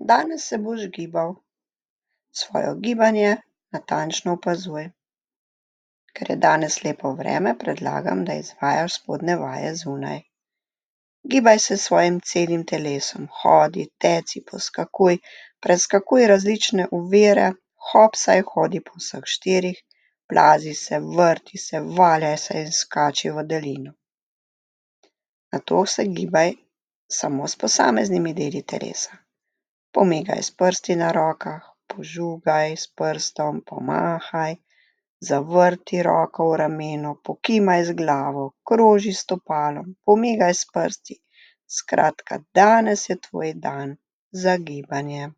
Danes se boš gibal. Svoje gibanje natančno opazuj. Ker je danes lepo vreme, predlagam, da izvajaš spodnje vaje zunaj. Gibaj se s svojim celim telesom, hodi, teci, poskakuj, preskakuj različne ovire, hopsaj, hodi po vseh štirih, plazi se, vrti se, valjaj se in skači v daljino. Nato se gibaj samo s posameznimi deli telesa. Pomigaj s prsti na rokah, požugaj s prstom, pomahaj, zavrti roko v ramenu, pokimaj z glavo, kroži s stopalom, pomigaj s prsti. Skratka, danes je tvoj dan za gibanje.